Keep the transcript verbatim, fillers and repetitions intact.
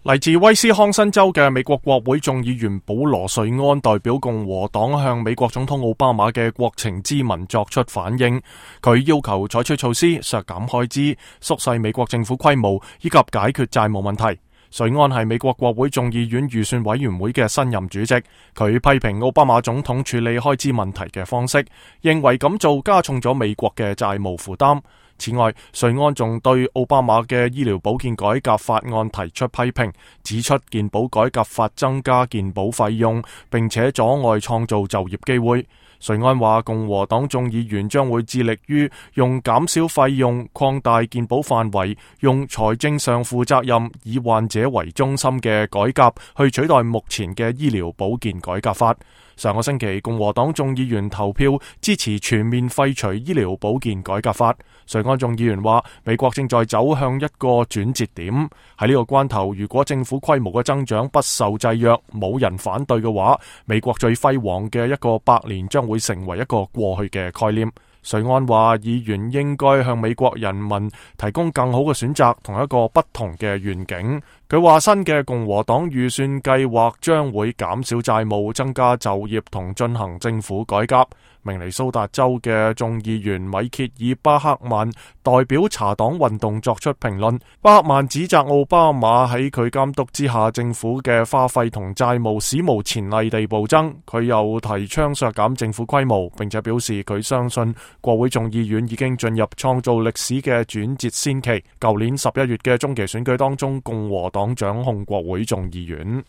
嚟自威斯康辛州嘅美國國會眾議員保羅·瑞安代表共和黨向美國總統奧巴馬嘅國情咨文作出反應，佢要求採取措施削減開支、縮細美國政府規模以及解決債務問題。瑞安係美國國會眾議院預算委員會嘅新任主席，佢批評奧巴馬總統處理開支問題嘅方式，認為咁做加重咗美國嘅債務負擔。此外，瑞安仲對奧巴馬嘅醫療保健改革法案提出批評，指出健保改革法增加健保費用，並且阻礙創造就業機會。瑞安話，共和黨眾議員將會致力於用減少費用、擴大健保範圍、用財政上負責任、以患者為中心嘅改革去取代目前嘅醫療保健改革法。上個星期，共和黨眾議員投票支持全面廢除醫療保健改革法。瑞安眾議員話，美國正在走向一個轉折點，喺呢個關頭，如果政府規模嘅增長不受制約，冇人反對嘅話，美國最輝煌嘅一個百年將會成為一個過去嘅概念。瑞安話，議員應該向美國人民提供更好嘅選擇同一個不同嘅願景。佢話，新嘅共和黨預算計劃將會減少債務、增加就業同進行政府改革。明尼蘇達州嘅眾議員米歇爾·巴克曼代表茶黨運動作出評論。巴克曼指責奧巴馬喺佢監督之下，政府嘅花費同債務史無前例地暴增。佢又提倡削減政府規模，並且表示佢相信國會眾議院已經進入創造歷史嘅轉折先期。舊年十一月嘅中期選舉當中，共和黨掌控國會眾議院。